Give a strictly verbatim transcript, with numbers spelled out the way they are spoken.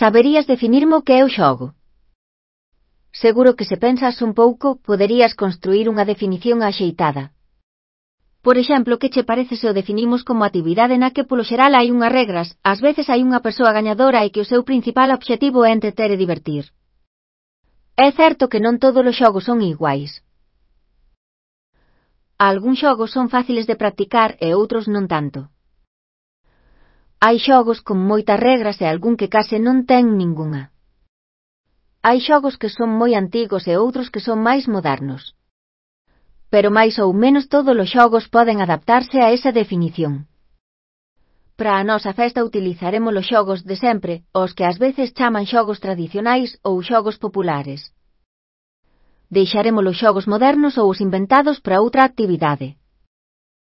Saberías definirme o que é o xogo? Seguro que se pensas un pouco, poderías construir unha definición axeitada. Por exemplo, que che parece se o definimos como actividade na que polo xeral hai unhas regras, ás veces hai unha persoa gañadora e que o seu principal obxectivo é entreter e divertir. É certo que non todos os xogos son iguais. Algúns xogos son fáciles de practicar e outros non tanto. Hai xogos con moitas regras e algún que case non ten ningunha. Hai xogos que son moi antigos e outros que son máis modernos. Pero máis ou menos todos os xogos poden adaptarse a esa definición. Para a nosa festa utilizaremos os xogos de sempre, os que ás veces chaman xogos tradicionais ou xogos populares. Deixaremos os xogos modernos ou os inventados para outra actividade.